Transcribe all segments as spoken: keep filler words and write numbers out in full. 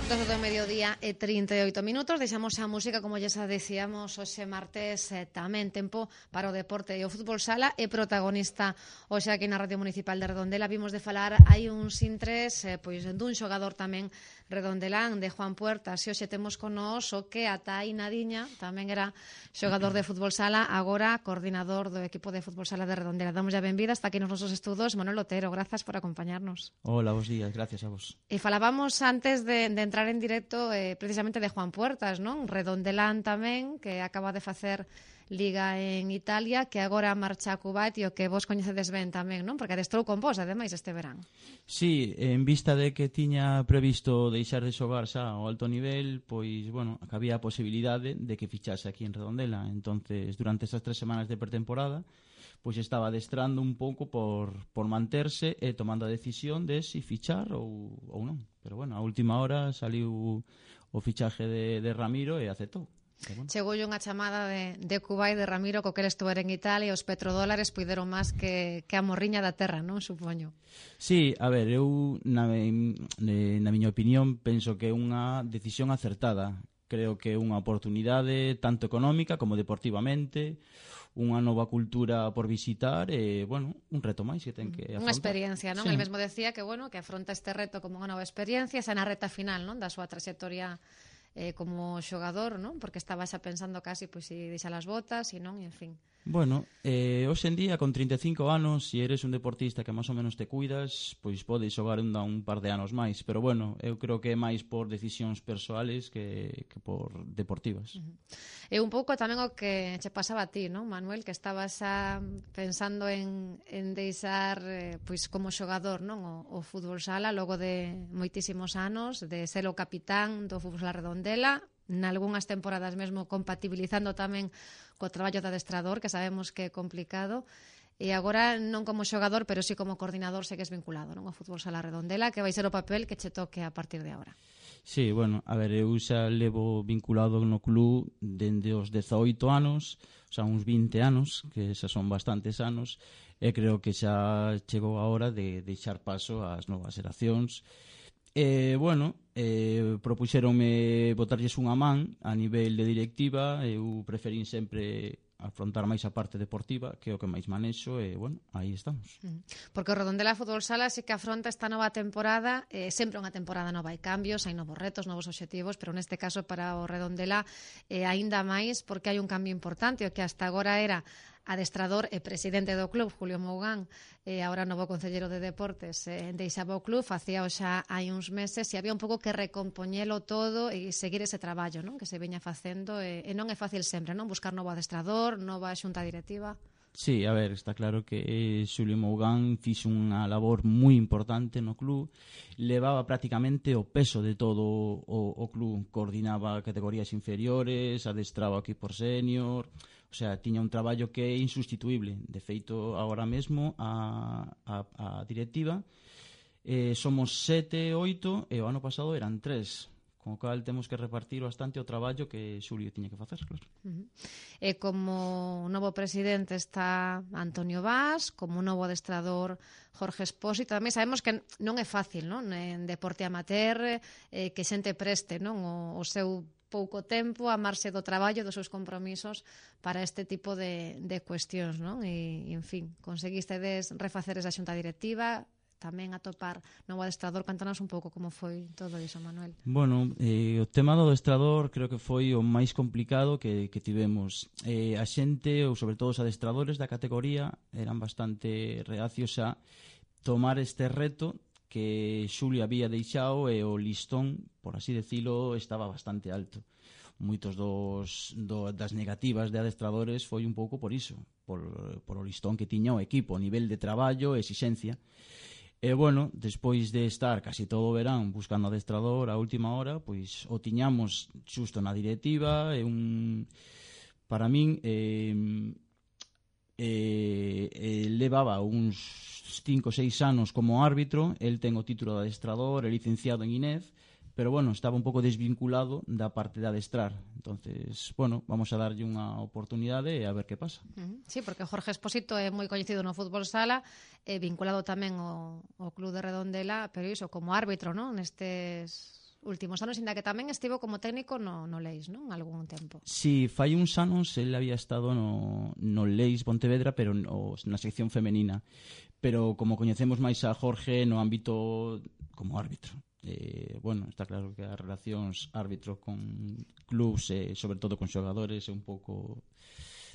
doce do mediodía e trinta e oito minutos. Deixamos a música, como xa decíamos, hoxe martes eh, tamén tempo para o deporte e o fútbol sala e protagonista hoxe aquí na Radio Municipal de Redondela. Vimos de falar hai uns intres eh, pois dun xogador tamén redondelán, de Juan Puertas, e hoxe temos con nós o que ata aí Nadiña tamén era xogador de fútbol sala, agora coordinador do equipo de fútbol sala de Redondela. Damos a benvida hasta aquí nos nosos estudos, Manuel Otero, grazas por acompañarnos. Hola, bons días, gracias a vos. E falábamos antes de, de entrar en directo eh, precisamente de Juan Puertas, non? Redondelán tamén, que acaba de facer Liga en Italia, que agora marcha a Kuwait e o que vos coñecedes ben tamén, non? Porque adestrou con vos, ademais, este verán. Sí, en vista de que tiña previsto deixar de xogar xa ao alto nivel, pois, bueno, había a posibilidade de que fichase aquí en Redondela. Entonces, durante estas tres semanas de pretemporada, pois estaba adestrando un pouco por, por manterse e tomando a decisión de si fichar ou, ou non. Pero, bueno, a última hora saliu o fichaje de, de Ramiro e aceptou. Bueno. Chegou unha chamada de, de Kuwait de Ramiro co que ele estuver en Italia e os petrodólares puideron máis que, que a morriña da terra, non? Supoño. Sí, a ver, eu na, na miña opinión penso que é unha decisión acertada. Creo que é unha oportunidade tanto económica como deportivamente, unha nova cultura por visitar e, bueno, un reto máis que ten que afrontar. Unha experiencia, non? Sí. El mesmo decía que, bueno, que afronta este reto como unha nova experiencia, xa na reta final, non? Da súa trayectoria eh, como xogador, non? Porque estaba xa pensando casi pois si deixar as botas, e non, e en fin. Bueno, eh, hoxe en día, con trinta e cinco anos, se eres un deportista que máis ou menos te cuidas, pois podes xogar un, un par de anos máis. Pero, bueno, eu creo que é máis por decisións persoales que, que por deportivas. Uh-huh. E un pouco tamén o que che pasaba a ti, non, Manuel? Que estabas xa pensando en, en deixar eh, pois como xogador, non? O, o fútbol sala, logo de moitísimos anos, de ser o capitán do fútbol sala Redondela, nalgúnas temporadas mesmo compatibilizando tamén co traballo de adestrador, que sabemos que é complicado, e agora non como xogador, pero sí como coordinador segues vinculado, non, ao fútbol sala Redondela, que vai ser o papel que che toque a partir de agora. Sí, bueno, a ver, eu xa levo vinculado no club dende os dezaoito anos, o sea, uns vinte anos, que xa son bastantes anos, e creo que xa chegou a hora de deixar paso ás novas xeracións. E, bueno, eh, propuxeronme botarlles unha man a nivel de directiva. Eu preferín sempre afrontar máis a parte deportiva, que é o que máis manexo, e, bueno, aí estamos. Porque o Redondela Fútbol Sala sí que afronta esta nova temporada, eh, sempre unha temporada nova, hai cambios, hai novos retos, novos obxectivos, pero neste caso para o Redondela eh, aínda máis, porque hai un cambio importante, o que hasta agora era adestrador e presidente do club, Julio Mougán, e agora novo concelleiro de deportes, eh, deixaba o club, facía xa hai uns meses, e había un pouco que recompoñelo todo e seguir ese traballo, non? Que se veña facendo, e, e non é fácil sempre, non? Buscar novo adestrador, nova xunta directiva. Sí, a ver, está claro que eh, Xulio Mougán fixo unha labor moi importante no club, levaba prácticamente o peso de todo o, o club, coordinaba categorías inferiores, adestraba o equipo senior, o sea, tiña un traballo que é insustituible. De feito, agora mesmo a, a, a directiva eh, somos sete, oito, e o ano pasado eran tres, con o cal temos que repartir bastante o traballo que Xulio tiña que facer, claro. Uh-huh. E como novo presidente está Antonio Vaz, como novo adestrador Jorge Espósito. Tamén sabemos que non é fácil, non? En deporte amateur, eh, que xente preste, non? O, o seu pouco tempo, amarse do traballo, dos seus compromisos para este tipo de, de cuestións, non? E, en fin, conseguistedes refacer esa xunta directiva, tamén atopar novo adestrador. Cantanos un pouco como foi todo iso, Manuel. Bueno, eh, o tema do adestrador creo que foi o máis complicado que, que tivemos. Eh, a xente, ou sobre todo os adestradores da categoría, eran bastante reacios a tomar este reto que Xulio había deixado, e o listón, por así decilo, estaba bastante alto. Moitos dos, do, das negativas de adestradores foi un pouco por iso, por, por o listón que tiña o equipo, o nivel de traballo e exixencia. E, bueno, despois de estar casi todo o verán buscando adestrador a última hora, pois o tiñamos xusto na directiva, e un, para min eh, eh, eh, levaba uns cinco ou seis anos como árbitro, el ten o título de adestrador, é licenciado en INEF, pero, bueno, estaba un pouco desvinculado da parte de adestrar. Entonces, bueno, vamos a darlle unha oportunidade e a ver que pasa. Uh-huh. Sí, porque Jorge Espósito é moi coñecido no fútbol sala, é vinculado tamén ao, ao club de Redondela, pero iso, como árbitro, non? Nestes últimos anos, inda que tamén estivo como técnico no, no Leis, non? Algún tempo. Si, fai uns anos el había estado no, no Leis Pontevedra, pero no, na sección femenina. Pero como coñecemos máis a Jorge no ámbito como árbitro. Eh, bueno, está claro que as relacións árbitro con clubs e eh, sobre todo con xogadores é un pouco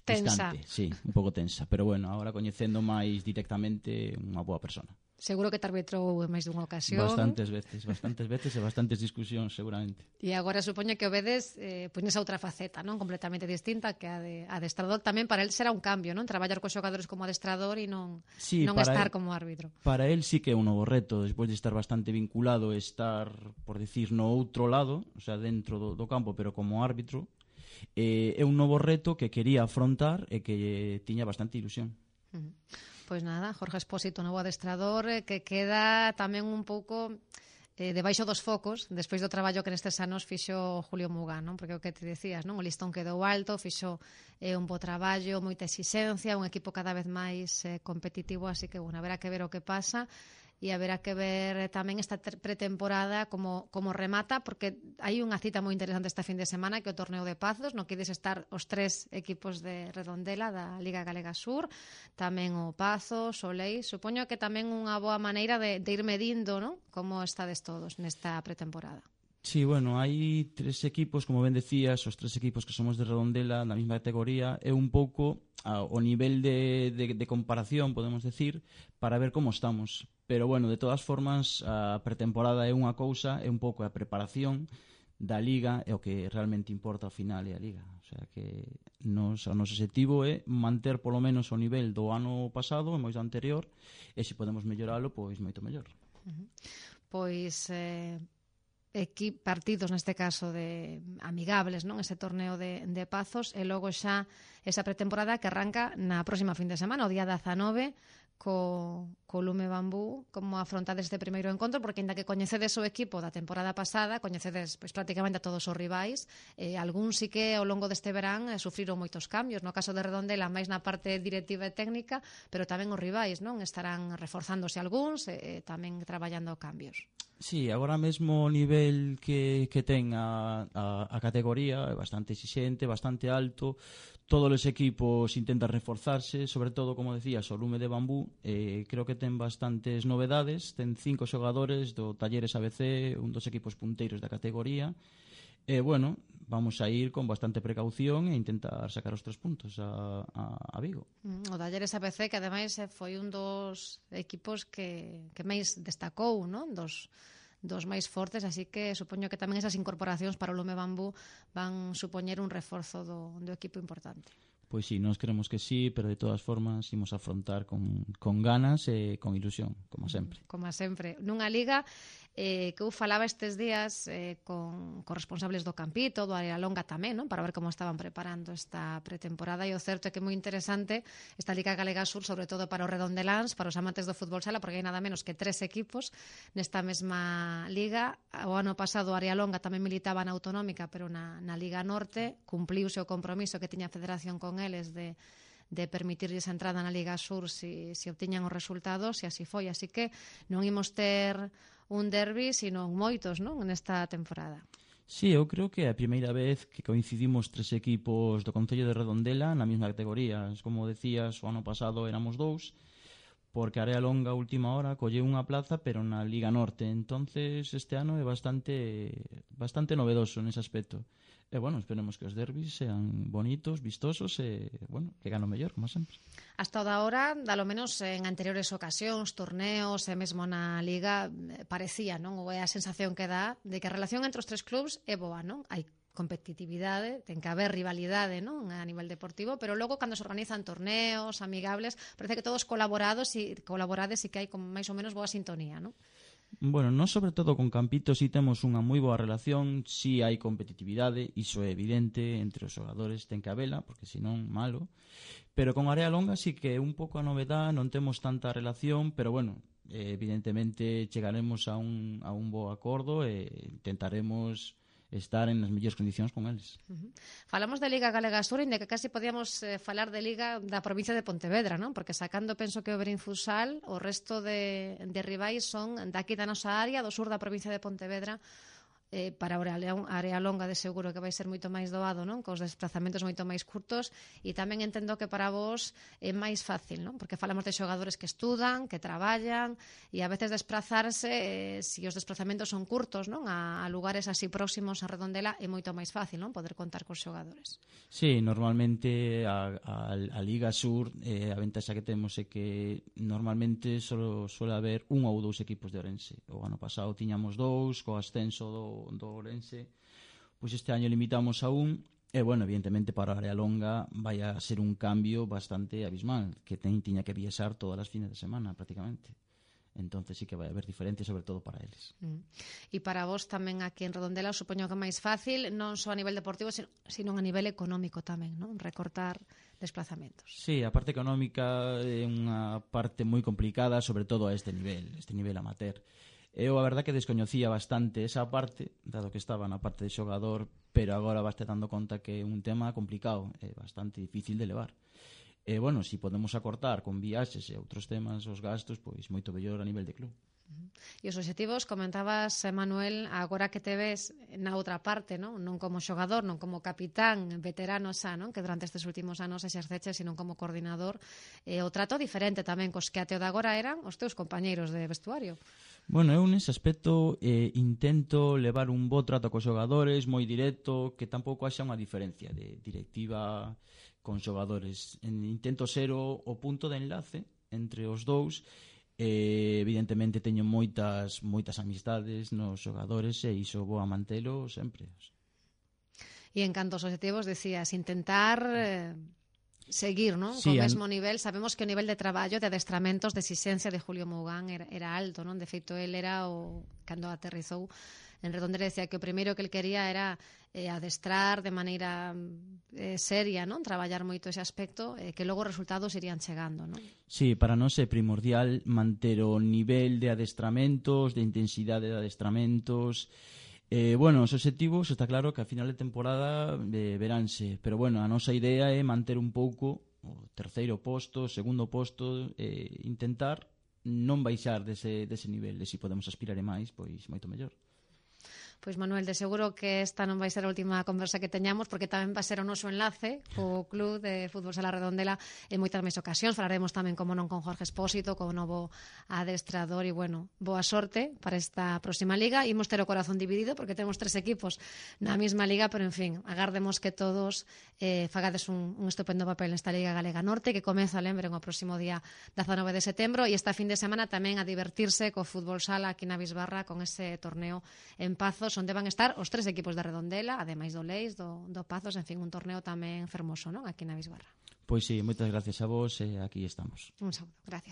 tensa. Distante, sí, un pouco tensa, pero bueno, agora coñecendo máis directamente unha boa persona. Seguro que te arbitrou en máis dunha ocasión. Bastantes veces, bastantes veces e bastantes discusións, seguramente. E agora supoño que o vedes eh, pois nesa outra faceta, non? Completamente distinta que a de adestrador. Tamén para el será un cambio, non? Traballar cos xogadores como adestrador e non, sí, non estar él, como árbitro. Para el sí que é un novo reto, despois de estar bastante vinculado, estar, por decir, no outro lado, o sea, dentro do, do campo, pero como árbitro, eh, é un novo reto que quería afrontar e que tiña bastante ilusión. Uh-huh. Pois nada, Jorge Espósito, novo adestrador, eh, que queda tamén un pouco eh, debaixo dos focos despois do traballo que nestes anos fixo Julio Mugán, non? Porque o que te decías, non? O listón quedou alto, fixo eh, un bo traballo, moita exixencia, un equipo cada vez máis eh, competitivo, así que, bueno, haberá que ver o que pasa e haberá que ver tamén esta pretemporada como, como remata, porque hai unha cita moi interesante esta fin de semana, que é o torneo de Pazos, no que ides estar os tres equipos de Redondela da Liga Galega Sur, tamén o Pazos, o Leis. Supoño que tamén unha boa maneira de, de ir medindo, non? Como estades todos nesta pretemporada. Sí, bueno, hai tres equipos, como ben decías, os tres equipos que somos de Redondela na mesma categoría, é un pouco a, o nivel de, de, de comparación, podemos decir, para ver como estamos. Pero, bueno, de todas formas, a pretemporada é unha cousa, é un pouco a preparación da Liga, é o que realmente importa ao final é a Liga. O sea que nos, o noso objetivo é manter polo menos o nivel do ano pasado, e máis do anterior, e se podemos melloralo, pois moito mellor. Uh-huh. Pois... Eh... Equi, partidos neste caso de amigables, non? Ese torneo de, de Pazos e logo xa esa pretemporada que arranca na próxima fin de semana, o día dezanove, co, co Lume Bambú. Como afrontades este primeiro encontro, porque ainda que coñecedes o equipo da temporada pasada, coñecedes pois, prácticamente a todos os rivais, eh, algún sí que ao longo deste verán eh, sufriron moitos cambios, no caso de Redondela máis na parte directiva e técnica, pero tamén os rivais, non? Estarán reforzándose algúns e eh, tamén traballando cambios. Sí, agora mesmo o nivel que, que ten a, a, a categoría é bastante exixente, bastante alto. Todos os equipos intentan reforzarse, sobre todo, como decías, o Lume de Bambú. Eh, creo que ten bastantes novedades. Ten cinco xogadores do Talleres A B C, un dos equipos punteiros da categoría. E, eh, bueno, vamos a ir con bastante precaución e intentar sacar os tres puntos a, a, a Vigo. O Talleres A B C, que ademais foi un dos equipos que, que máis destacou, non? Dos, dos máis fortes, así que supoño que tamén esas incorporacións para o Lume Bambú van supoñer un reforzo do, do equipo importante. Pois sí, nós queremos que sí, pero de todas formas imos afrontar con, con ganas e con ilusión, como sempre. Como sempre. Nunha liga eh, que eu falaba estes días eh, con, con responsables do Campito, do Área Longa tamén, non? Para ver como estaban preparando esta pretemporada, e o certo é que é moi interesante esta Liga Galega Sur, sobre todo para os redondeláns, para os amantes do fútbol sala, porque hai nada menos que tres equipos nesta mesma liga. O ano pasado o Área Longa tamén militaba na Autonómica, pero na, na Liga Norte cumpliuse o compromiso que tiña a Federación con eles de de permitirlles a entrada na Liga Sur se si, si obtiñan os resultados, e así foi. Así que non imos ter un derbi, sino moitos, non? Nesta temporada. Sí, eu creo que é a primeira vez que coincidimos tres equipos do Concello de Redondela na mesma categoría. Como decías, o ano pasado éramos dous, porque a Área Longa a última hora colleu unha plaza, pero na Liga Norte. Entonces este ano é bastante bastante novedoso nese aspecto. E, bueno, esperemos que os derbis sean bonitos, vistosos e, bueno, que gano mellor, como sempre. Hasta o da hora, dalo menos en anteriores ocasións, torneos e mesmo na Liga, parecía, non? Ou é a sensación que dá de que a relación entre os tres clubs é boa, non? Hai competitividade, ten que haber rivalidade, non? A nivel deportivo, pero logo cando se organizan torneos amigables, parece que todos colaborados e colaborades e que hai como máis ou menos boa sintonía, non? Bueno, nós sobre todo con Campito si temos unha moi boa relación, si hai competitividade, iso é evidente, entre os xogadores ten que habela, porque senón malo, pero con Área Longa si que é un pouco a novedad, non temos tanta relación, pero bueno, evidentemente chegaremos a un, a un bo acordo e intentaremos estar en as mellores condicións con eles. Uh-huh. Falamos de Liga Galega Sur, inda que casi podíamos eh, falar de Liga da provincia de Pontevedra, non? Porque sacando, penso que o Berín Futsal, o resto de, de rivais son daqui da nosa área, do sur da provincia de Pontevedra, eh, para a área longa de seguro que vai ser moito máis doado, non? Cos desplazamentos moito máis curtos, e tamén entendo que para vos é máis fácil, non? Porque falamos de xogadores que estudan, que traballan, e a veces desplazarse, eh, se os desplazamentos son curtos, non? A, a lugares así próximos a Redondela é moito máis fácil, non? Poder contar cos xogadores. Sí, normalmente a, a, a Liga Sur, eh, a ventaxa que temos é que normalmente solo suele haber un ou dous equipos de Ourense. O ano pasado tiñamos dous, co ascenso do do Ourense, pois este año limitamos a un, e, bueno, evidentemente para a área longa vai a ser un cambio bastante abismal, que ten, tiña que viaxar todas as fines de semana, prácticamente. Entonces sí que vai haber diferencia, sobre todo para eles. Mm. E para vos tamén aquí en Redondela, supoño que é máis fácil, non só a nivel deportivo, sino a nivel económico tamén, non? Recortar desplazamentos. Sí, a parte económica é unha parte moi complicada, sobre todo a este nivel, este nivel amateur. Eu a verdad que descoñecía bastante esa parte, dado que estaba na parte de xogador, pero agora vaste dando conta que é un tema complicado, é bastante difícil de levar. E, bueno, se si podemos acortar con viaxes e outros temas os gastos, pois moito mellor a nivel de club. E os obxectivos, comentabas, Manuel, agora que te ves na outra parte, non? Non como xogador, non como capitán, veterano xa, non? Que durante estes últimos anos exerceches, sino como coordinador, e o trato diferente tamén cos que até o de agora eran os teus compañeiros de vestuario. Bueno, eu nese aspecto eh, intento levar un bo trato cos xogadores, moi directo, que tampouco haxa unha diferencia de directiva con xogadores. Intento ser o, o punto de enlace entre os dous. Eh, evidentemente teño moitas moitas amistades nos xogadores e iso vou a mantelo sempre. E en canto aos objetivos, decías, intentar eh, seguir, non? Sí, Co mesmo nivel. Sabemos que o nivel de traballo, de adestramentos, de exigencia de Julio Mougán era, era alto, non? De feito, el era o cando aterrizou en Redondela, decía que o primeiro que el quería era eh, adestrar de maneira eh, seria, non? Traballar moito ese aspecto, eh, que logo os resultados irían chegando, non? Sí, para nós é primordial manter o nivel de adestramentos, de intensidade de adestramentos. Eh, bueno, os obxectivos está claro que a final de temporada eh, veránse, pero bueno, a nosa idea é manter un pouco o terceiro posto, segundo posto, eh, intentar non baixar dese, dese nivel, e se podemos aspirar e máis, pois moito mellor. Pois, Manuel, de seguro que esta non vai ser a última conversa que teñamos, porque tamén vai ser o noso enlace co Club de Fútbol Sala Redondela en moitas máis ocasións. Falaremos tamén, como non, con Jorge Espósito, con o novo adestrador, e, bueno, boa sorte para esta próxima liga. Imos ter o corazón dividido, porque temos tres equipos na mesma liga, pero, en fin, agardemos que todos eh, fagades un, un estupendo papel nesta Liga Galega Norte, que comeza, lembren, o próximo día dezanove de setembro, e esta fin de semana tamén a divertirse co Fútbol Sala aquí na Bisbarra con ese torneo en Pazos, onde van estar os tres equipos de Redondela, ademais do Leis, do, do Pazos, en fin, un torneo tamén fermoso, non? Aquí na Bisbarra. Pois sí, moitas gracias a vos e aquí estamos. Un saúdo, gracias.